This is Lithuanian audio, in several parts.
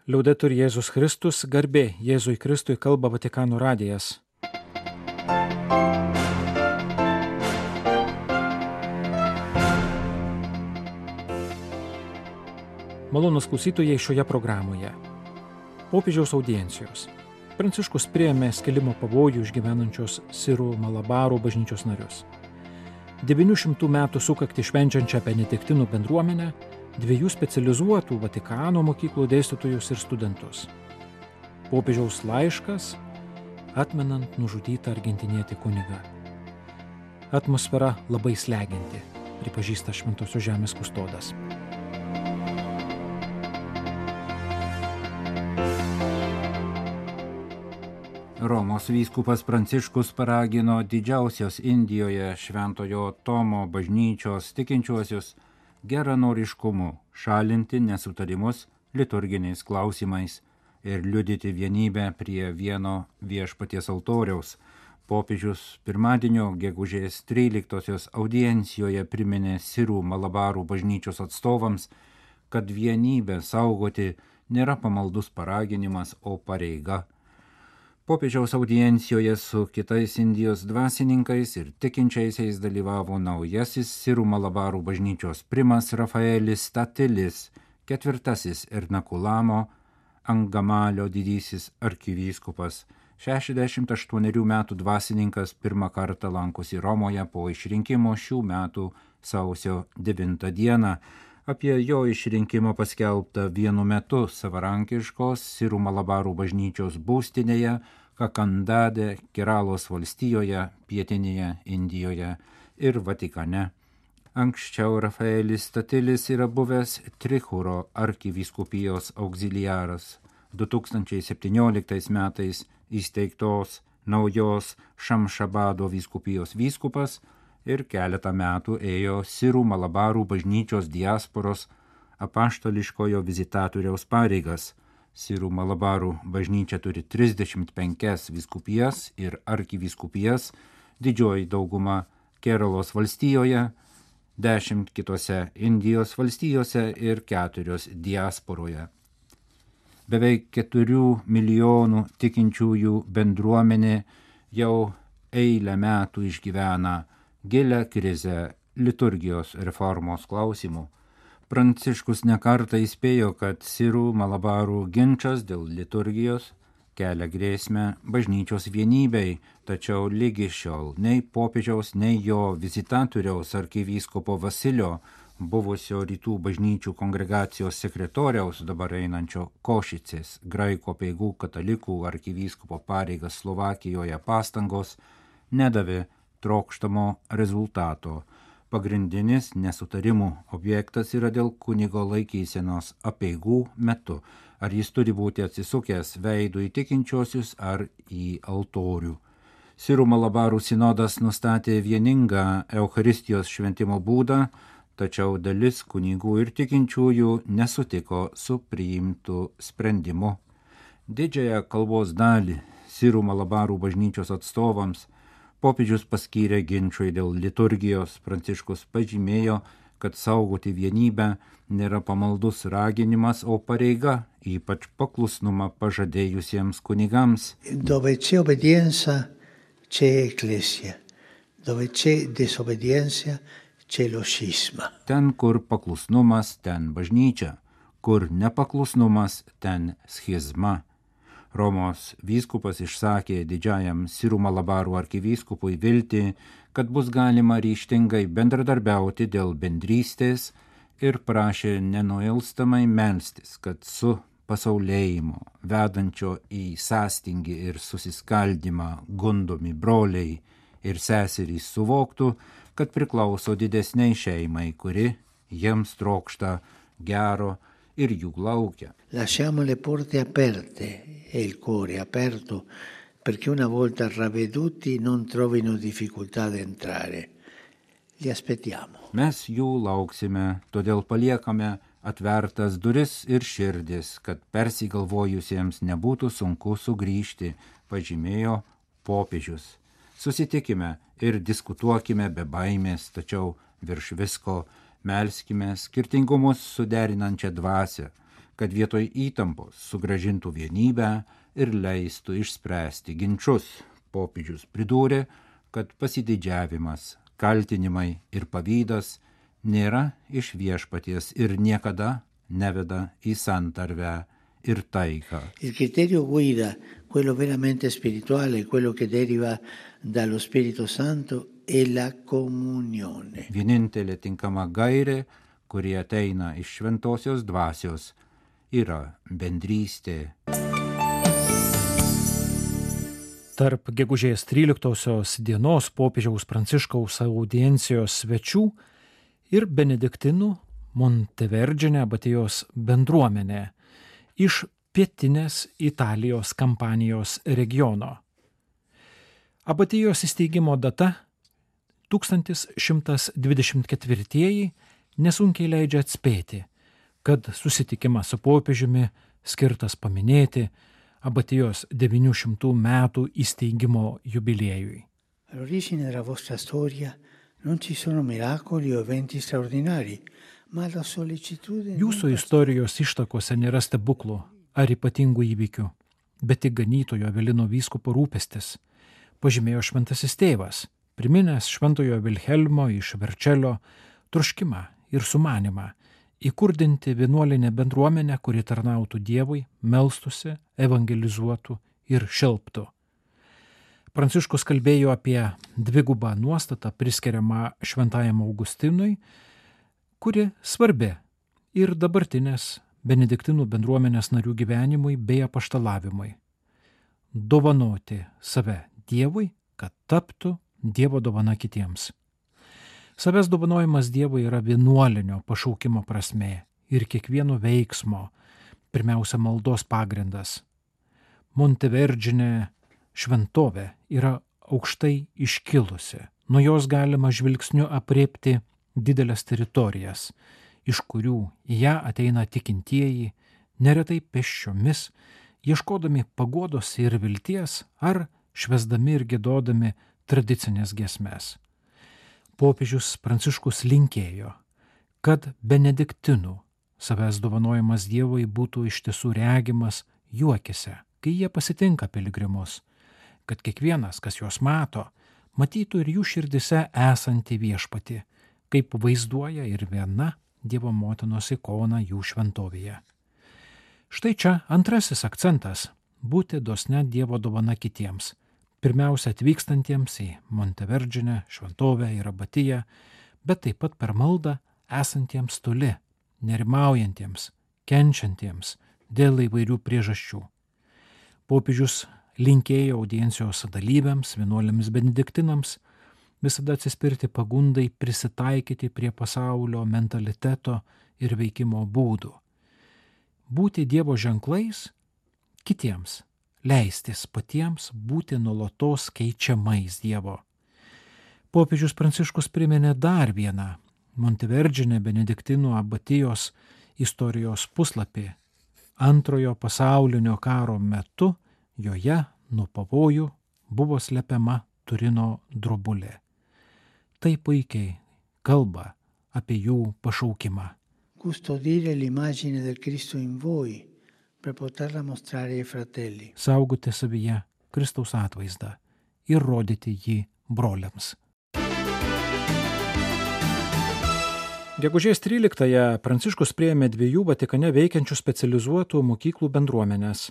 Liaudetur Jėzus Kristus, garbė Jėzui Kristui, kalba Vatikano radijas. Malonūs klausytojai šioje programoje. Popiežiaus audiencijos. Pranciškus priėmė skilimo pavojų išgyvenančios Sirų Malabarų bažnyčios narius. 900 metų sukaktį švenčiančią benediktinų bendruomenę, 2 specializuotų Vatikano mokyklų dėstytojus ir studentus. Popiežiaus laiškas, atmenant nužudytą argentinietį kunigą. Atmosfera labai slegianti, pripažįsta Šventosios žemės kustodas. Romos vyskupas Pranciškus paragino didžiausios Indijoje Šventojo Tomo bažnyčios tikinčiuosius geranoriškumu šalinti nesutarimus liturginiais klausimais ir liudyti vienybę prie vieno viešpaties altoriaus. Popiežius pirmadienio gegužės 13 audiencijoje priminė Sirų Malabarų bažnyčios atstovams, kad vienybę saugoti nėra pamaldus paraginimas, o pareiga. Popiežiaus audiencijoje su kitais Indijos dvasininkais ir tikinčiaisiais dalyvavo naujasis Sirų Malabarų bažnyčios primas Rafaelis Statilis, 4 Ernakulamo Angamalio didysis arkivyskupas. 68 metų dvasininkas pirmą kartą lankosi Romoje po išrinkimo šių metų sausio 9 dieną. Apie jo išrinkimą paskelbta vienu metu savarankiškos Sirų Malabarų bažnyčios būstinėje Kakandade, Keralos valstijoje, pietinėje Indijoje ir Vatikane. Anksčiau Rafaelis Statilis yra buvęs Trihuro arkivyskupijos auxiliaras. 2017 metais įsteigtos naujos Šamšabado vyskupijos vyskupas ir keletą metų ėjo Sirų Malabarų bažnyčios diasporos apaštališkojo vizitatoriaus pareigas. Sirų Malabarų bažnyčia turi 35 vyskupijas ir arkivyskupijas, didžioji dauguma Keralos valstijoje, 10 kitose Indijos valstijose ir 4 diasporoje. Beveik 4 milijonų tikinčiųjų bendruomenė jau eilę metų išgyvena gilią krizę liturgijos reformos klausimų. Pranciškus nekartą įspėjo, kad Sirų Malabarų ginčas dėl liturgijos kelia grėsmę bažnyčios vienybei, tačiau lygi šiol nei popiežiaus, nei jo vizitatoriaus arkivyskupo Vasilio, buvusio rytų bažnyčių kongregacijos sekretoriaus, dabar einančio Košicės, graikų apeigų katalikų arkivyskupo pareigas Slovakijoje pastangos nedavė trokštamo rezultato. Pagrindinis nesutarimų objektas yra dėl kunigo laikysenos apeigų metu. Ar jis turi būti atsisukęs veidu į tikinčiuosius ar į altorių. Sirų Malabarų sinodas nustatė vieningą Eucharistijos šventimo būdą, tačiau dalis kunigų ir tikinčiųjų nesutiko su priimtu sprendimu. Didžiąją kalbos dalį Sirų Malabarų bažnyčios atstovams popiežius paskyrė ginčui dėl liturgijos. Pranciškus pažymėjo, kad saugoti vienybę nėra pamaldus raginimas, o pareiga, ypač paklusnumą pažadėjusiems kunigams. Dove c'è obbedienza, c'è ecclesia. Dove c'è disobbedienza, c'è lo scisma. Ten, kur paklusnumas, ten bažnyčia. Kur nepaklusnumas, ten schizma. Romos vyskupas išsakė didžiajam Sirų Malabarų arkivyskupui viltį, kad bus galima ryžtingai bendradarbiauti dėl bendrystės ir prašė nenuilstamai melstis, kad su pasaulėjimu, vedančio į sąstingį ir susiskaldymą gundomi broliai ir seserys suvoktų, kad priklauso didesniai šeimai, kuri jiems trokšta gero ir jų laukia. Lasciamo le porte aperte e il cuore aperto perché una volta ravveduti non trovino difficoltà ad entrare. Li aspettiamo. Mes jų lauksime, todėl paliekame atvertas duris ir širdis, kad persigalvojusiems nebūtų sunku sugrįžti, pažymėjo popiežius. Susitikime ir diskutuokime be baimės, tačiau virš visko melskime skirtingumus suderinančią dvasią, kad vietoj įtampos sugrąžintų vienybę ir leistų išspręsti ginčus. Popiežius pridūrė, kad pasididžiavimas, kaltinimai ir pavydas nėra iš viešpaties ir niekada neveda į santarvę ir taiką. Il criterio guida, quello veramente spirituale, quello che deriva dallo Spirito Santo, è la comunione. Vienintelė tinkama gairė, kurie ateina iš šventosios dvasios, yra bendrystė. Tarp gegužės 13 dienos popiežiaus Pranciškaus audiencijos svečių ir benediktinų Monteverdžine abatijos bendruomenė iš pietinės Italijos Kampanijos regiono. Abatijos įsteigimo data 1124 nesunkiai leidžia atspėti, kad susitikimas su popiežiumi skirtas paminėti abatijos 900 metų įsteigimo jubiliejui. All'origine della vostra storia non ci sono miracoli o eventi straordinari, ma la sollecitudine. Jūsų istorijos ištakose nėra stebuklų ar ypatingų įvykių, bet tik ganytojo Avelino vyskupo rūpestis, pažymėjo šventasis tėvas, priminęs šventojo Vilhelmo iš Verčelio troškimą ir sumanimą įkurdinti vienuolinę bendruomenę, kuri tarnautų Dievui, melstusi, evangelizuotų ir šelptų. Pranciškus kalbėjo apie dvigubą nuostatą priskiriamą šventajam Augustinui, kuri svarbi ir dabartinės benediktinų bendruomenės narių gyvenimui bei apaštalavimui. Dovanoti save Dievui, kad taptų Dievo dovana kitiems. Savęs dovanojimas Dievui yra vienuolinio pašaukimo prasmė ir kiekvieno veiksmo, pirmiausia maldos pagrindas. Monteverdžine šventovė yra aukštai iškilusi, nuo jos galima žvilgsniu apriepti didelės teritorijas, iš kurių į ją ateina tikintieji, neretai pėsčiomis, ieškodami paguodos ir vilties ar švęsdami ir giedodami tradicinės giesmes. Popiežius Pranciškus linkėjo, kad benediktinų savęs dovanojimas Dievui būtų iš tiesų regimas jų akyse, kai jie pasitinka piligrimus, kad kiekvienas, kas juos mato, matytų ir jų širdise esantį viešpatį, kaip vaizduoja ir viena Dievo motinos ikona jų šventovėje. Štai čia antrasis akcentas – būti dosne Dievo dovana kitiems, pirmiausia atvykstantiems į Monteverdžinę, šventovę ir abatiją, bet taip pat per maldą esantiems toli, nerimaujantiems, kenčiantiems dėl įvairių priežasčių. Popiežius linkėjo audiencijos dalyviams, vienuolėms benediktinams, visada atsispirti pagundai prisitaikyti prie pasaulio mentaliteto ir veikimo būdų. Būti Dievo ženklais kitiems, leistis patiems būti nuolatos keičiamais Dievo. Popiežius Pranciškus priminė dar vieną Monteverdžine benediktinų abatijos istorijos puslapį. Antrojo pasaulinio karo metu joje nuo pavojų buvo slepiama Turino drobulė. Tai puikiai kalba apie jų pašaukimą. Custodire l'immagine del Cristo in voi per poterla mostrare ai fratelli. Saugoti savyje Kristaus atvaizdą ir rodyti jį broliams. Gegužės 13-ąją Pranciškus priėmė 2 Vatikane veikiančių specializuotų mokyklų bendruomenės.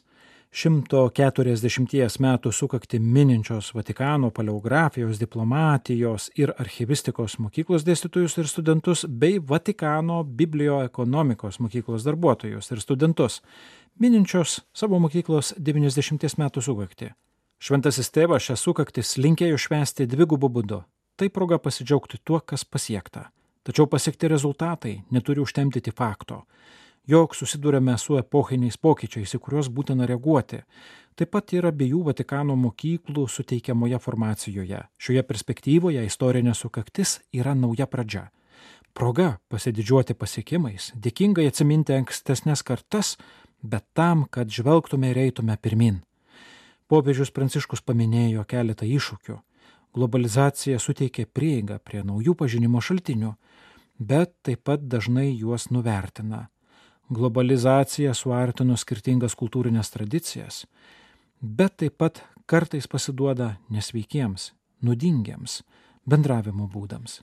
140 metų sukakti mininčios Vatikano paleografijos, diplomatijos ir archivistikos mokyklos dėstytojus ir studentus bei Vatikano biblioekonomikos mokyklos darbuotojus ir studentus, mininčios savo mokyklos 90 metų sukakti. Šventasis tėvas šią sukaktis linkėjo švęsti dvigubu būdu. Tai proga pasidžiaugti tuo, kas pasiekta. Tačiau pasiekti rezultatai neturi užtemdyti fakto, jog susidūrėme su epochiniais pokyčiais, į kuriuos būtina reaguoti. Taip pat ir abiejų Vatikano mokyklų suteikiamoje formacijoje. Šioje perspektyvoje istorinė sukaktis yra nauja pradžia. Proga pasididžiuoti pasiekimais, dėkingai atsiminti ankstesnės kartas, bet tam, kad žvelgtume ir eitume pirmin. Popiežius Pranciškus paminėjo keletą iššūkių. Globalizacija suteikė prieigą prie naujų pažinimo šaltinių, bet taip pat dažnai juos nuvertina. globalizacija suartino skirtingas kultūrinės tradicijas, bet taip pat kartais pasiduoda nesveikiems, nuodingiems bendravimo būdams.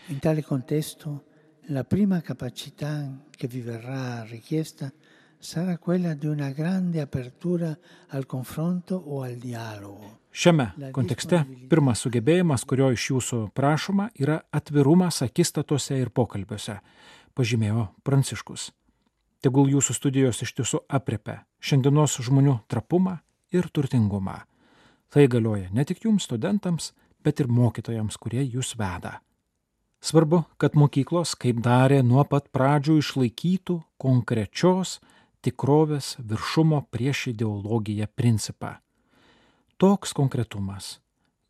In tale contesto, la prima capacità che vi verrà richiesta sarà quella di una grande apertura al confronto o al dialogo. Šiame kontekste pirmas sugebėjimas, kurio iš jūsų prašoma, yra atvirumas akistatose ir pokalbiuose, pažymėjo Pranciškus. Tegul jūsų studijos iš tiesų aprėpia šiandienos žmonių trapumą ir turtingumą. Tai galioja ne tik jums, studentams, bet ir mokytojams, kurie jūs veda. Svarbu, kad mokyklos, kaip darė nuo pat pradžių, išlaikytų konkrečios tikrovės viršumo prieš ideologiją principą. Toks konkretumas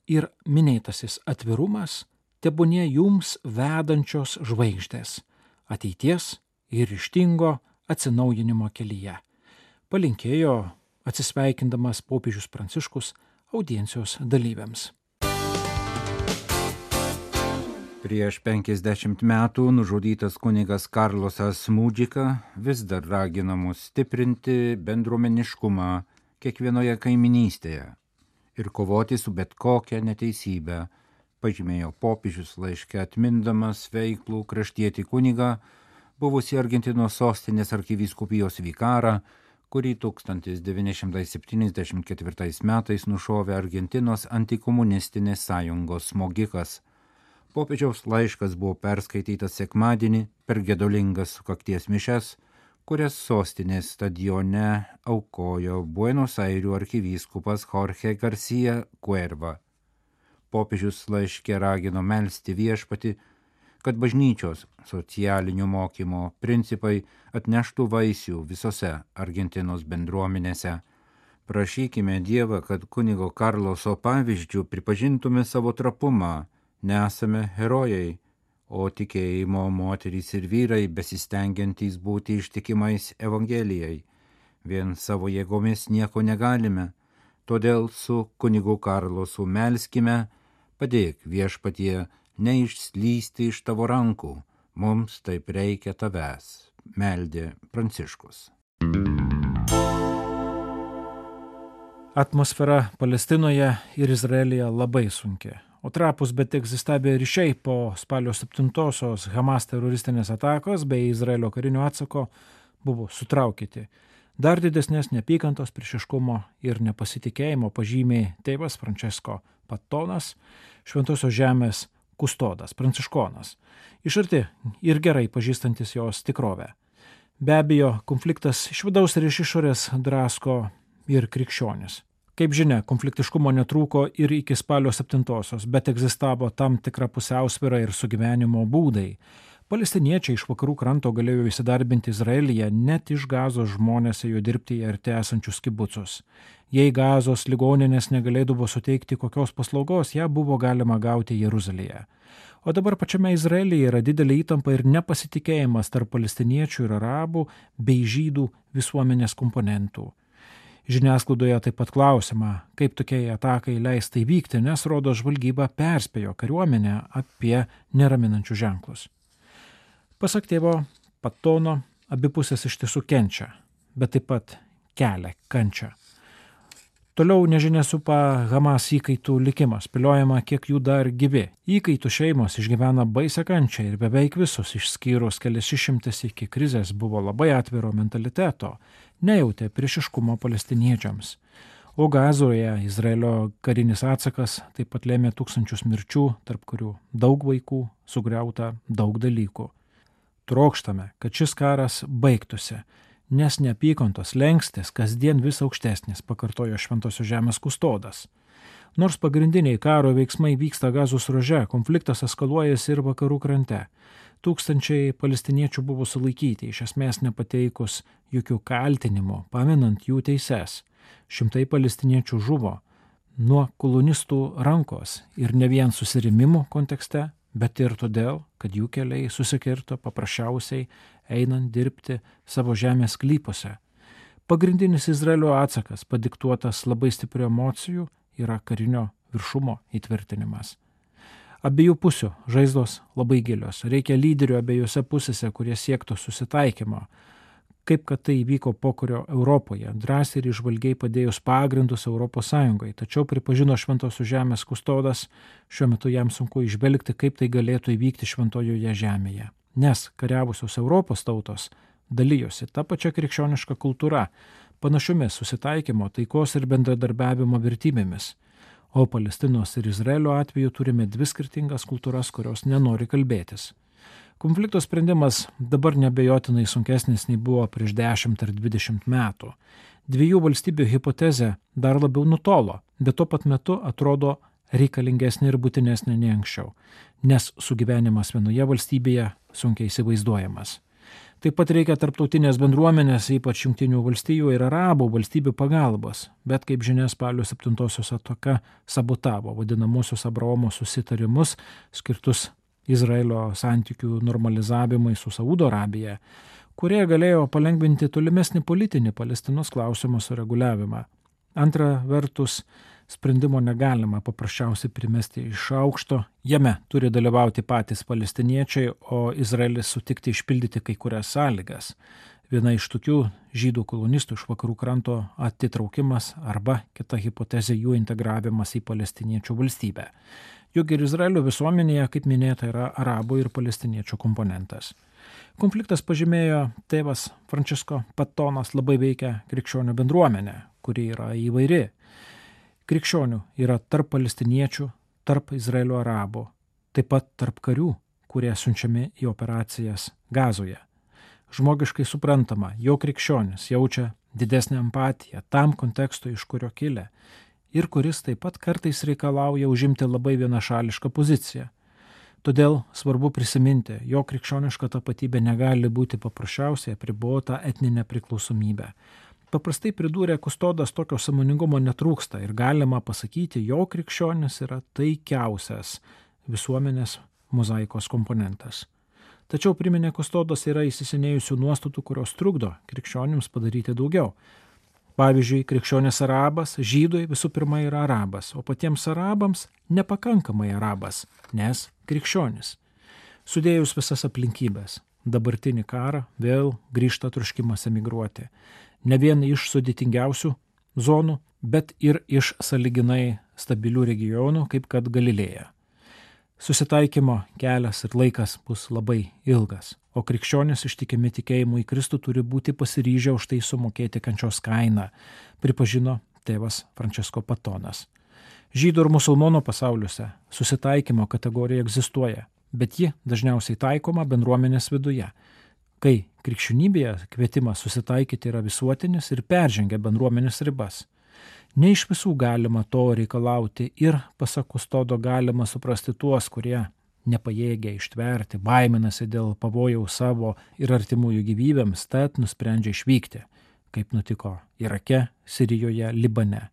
ir minėtasis atvirumas tebūnie jums vedančios žvaigždės ateities ir ryžtingo atsinaujinimo kelyje, palinkėjo atsisveikindamas popiežius Pranciškus audiencijos dalyviams. Prieš 50 metų nužudytas kunigas Karlosas Mudžika vis dar ragina mus stiprinti bendruomeniškumą kiekvienoje kaiminystėje ir kovoti su bet kokia neteisybė, pažymėjo popiežius laiške atmindamas veiklų kraštietį kunigą, buvusį Argentinos sostinės arkivyskupijos vikarą, kurį 1974 metais nušovė Argentinos antikomunistinės sąjungos smogikas. Popiežiaus laiškas buvo perskaitytas sekmadienį per gedulingas sukakties mišias, kurias sostinės stadione aukojo Buenos Airių arkivyskupas Jorge García Cuerva. Popiežius laiške ragino melsti viešpatį, kad bažnyčios socialinių mokymo principai atneštų vaisių visose Argentinos bendruomenėse. Prašykime Dievą, kad kunigo Karloso pavyzdžių pripažintume savo trapumą. Nesame herojai, o tikėjimo moterys ir vyrai besistengiantys būti ištikimais Evangelijai. Vien savo jėgomis nieko negalime, todėl su kunigu Karlosu melskime, padėk viešpatie neišslysti iš tavo rankų, mums taip reikia tavęs, meldė Pranciškus. Atmosfera Palestinoje ir Izraelyje labai sunki. O trapus bet egzistavę ryšiai po spalio 7-osios Hamas teroristinės atakos bei Izraelio karinio atsako buvo sutraukyti. Dar didesnės neapykantos, priešiškumo ir nepasitikėjimo pažymė tėvas Francesco Pattonas, Šventosios žemės kustodas, pranciškonas, iš arti ir gerai pažįstantis jos tikrovę. Be abejo, konfliktas iš vidaus ir iš išorės drasko ir krikščionis. Kaip žinia, konfliktiškumo netrūko ir iki spalio 7-osios, bet egzistavo tam tikra pusiausvyra ir sugyvenimo būdai. Palestiniečiai iš vakarų kranto galėjo įsidarbinti Izraelyje, net iš Gazos žmonės ėjo dirbti į arti esančius kibucus. Jei Gazos ligoninės negalėdavo suteikti kokios paslaugos, ją buvo galima gauti Jeruzalėje. O dabar pačiame Izraelyje yra didelė įtampa ir nepasitikėjimas tarp palestiniečių ir arabų bei žydų visuomenės komponentų. Žiniasklaidoje taip pat klausima, kaip tokiai atakai leista įvykti, nes rodo žvalgyba perspėjo kariuomenę apie neraminančius ženklus. Pasak tėvo Pattono, abi pusės iš tiesų kenčia, bet taip pat kelia kančią. Toliau nežinia supa Hamas įkaitų likimas, spėliojama, kiek jų dar gyvi. Įkaitų šeimos išgyvena baisią kančią ir beveik visus, išskyrus kelias išimtis iki krizės, buvo labai atviro mentaliteto, nejautė priešiškumo palestiniečiams. O Gazoje Izraelio karinis atsakas taip pat lėmė tūkstančius mirčių, tarp kurių daug vaikų, sugriauta daug dalykų. Trokštame, kad šis karas baigtųsi, nes neapykantos lengstis kasdien vis aukštesnis, pakartojo Šventosios žemės kustodas. Nors pagrindiniai karo veiksmai vyksta Gazos ruože, konfliktas eskaluojasi ir vakarų krante. Tūkstančiai palestiniečių buvo sulaikyti, iš esmės nepateikus jokių kaltinimų, paminant jų teises. Šimtai palestiniečių žuvo nuo kolonistų rankos ir ne vien susirėmimų kontekste, bet ir todėl, kad jų keliai susikirto paprasčiausiai einant dirbti savo žemės sklypuose. Pagrindinis Izraelio atsakas, padiktuotas labai stiprių emocijų, yra karinio viršumo įtvirtinimas. Abiejų pusių žaizdos labai gilios. Reikia lyderių abiejose pusėse, kurie siektų susitaikymo, kaip kad tai įvyko pokario Europoje, drąsiai ir išvalgiai padėjus pagrindus ES, tačiau pripažino Šventosios žemės kustodas, šiuo metu jam sunku išvelgti, kaip tai galėtų įvykti Šventojoje žemėje. Nes kariavusios Europos tautos dalyjosi tą pačią krikščionišką kultūrą, panašiomis susitaikymo, taikos ir bendradarbiavimo vertybėmis. O Palestinos ir Izraelio atveju turime dvi skirtingas kultūras, kurios nenori kalbėtis. Konflikto sprendimas dabar nebejotinai sunkesnis nei buvo prieš 10 ar 20 metų. Dviejų valstybių hipotezė dar labiau nutolo, bet tuo pat metu atrodo reikalingesnė ir būtinesnė nei anksčiau, nes sugyvenimas vienoje valstybėje sunkiai įsivaizduojamas. Taip pat reikia tarptautinės bendruomenės, ypač Jungtinių valstijų ir Arabų valstybių pagalbos, bet kaip žinia, spalio 7-osios ataka sabotavo vadinamosios Abraomo susitarimus skirtus Izraelio santykių normalizavimai su Saudo Arabija, kurie galėjo palengvinti tolimesnį politinį Palestinos klausimo sureguliavimą. Antra vertus, sprendimo negalima paprasčiausiai primesti iš aukšto, jame turi dalyvauti patys palestiniečiai, o Izraelis sutikti išpildyti kai kurias sąlygas. Viena iš tokių žydų kolonistų iš vakarų kranto atitraukimas arba kita hipotezė jų integravimas į palestiniečių valstybę. Juk ir Izraelio visuomenėje, kaip minėta, yra arabų ir palestiniečių komponentas. Konfliktas, pažymėjo tėvas Francesco Patonas, labai veikia krikščionių bendruomenę, kuri yra įvairi. Krikščionių yra tarp palestiniečių, tarp Izraelio arabų, taip pat tarp karių, kurie siunčiami į operacijas Gazoje. Žmogiškai suprantama, jo krikščionis jaučia didesnę empatiją tam kontekstui, iš kurio kilę, ir kuris taip pat kartais reikalauja užimti labai vienašališką poziciją. Todėl svarbu prisiminti, jo krikščioniška tapatybė negali būti paprasčiausiai apribota etninė priklausomybė. Paprastai pridūrė kustodas, tokio sąmoningumo netrūksta ir galima pasakyti, jo krikščionis yra taikiausias visuomenės mozaikos komponentas. Tačiau priminė kustodas yra įsisenėjusių nuostatų, kurios trukdo krikščionims padaryti daugiau. Pavyzdžiui, krikščionis arabas žydui visų pirma yra arabas, o patiems arabams nepakankamai arabas, nes krikščionis. Sudėjus visas aplinkybės, dabartinį karą vėl grįžta troškimas emigruoti. Ne vien iš sudėtingiausių zonų, bet ir iš sąlyginai stabilių regionų, kaip kad Galilėja. Susitaikymo kelias ir laikas bus labai ilgas, o krikščionys ištikimi tikėjimu į Kristų turi būti pasiryžę už tai sumokėti kančios kainą, pripažino tėvas Francesco Patonas. Žydų ir musulmonų pasauliuose susitaikymo kategorija egzistuoja, bet ji dažniausiai taikoma bendruomenės viduje, kai krikščionybėje kvietimas susitaikyti yra visuotinis ir peržengia bendruomenės ribas. Ne iš visų galima to reikalauti ir, pasak kustodo, galima suprasti tuos, kurie nepajėgia ištverti, baiminasi dėl pavojaus savo ir artimųjų gyvybėms, tad nusprendžia išvykti, kaip nutiko Irake, Sirijoje, Libane.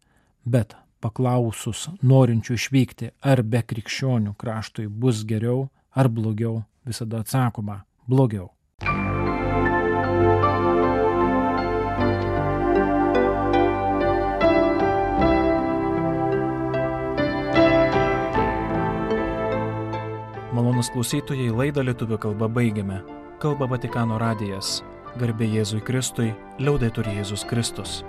Bet paklausus norinčių išvykti, ar be krikščionių kraštui bus geriau ar blogiau, visada atsakoma – blogiau. Malonus klausytojai, laidą lietuvių kalba baigiame. Kalba Vatikano radijas. Garbė Jėzui Kristui, liaudetur Jėzus Kristus.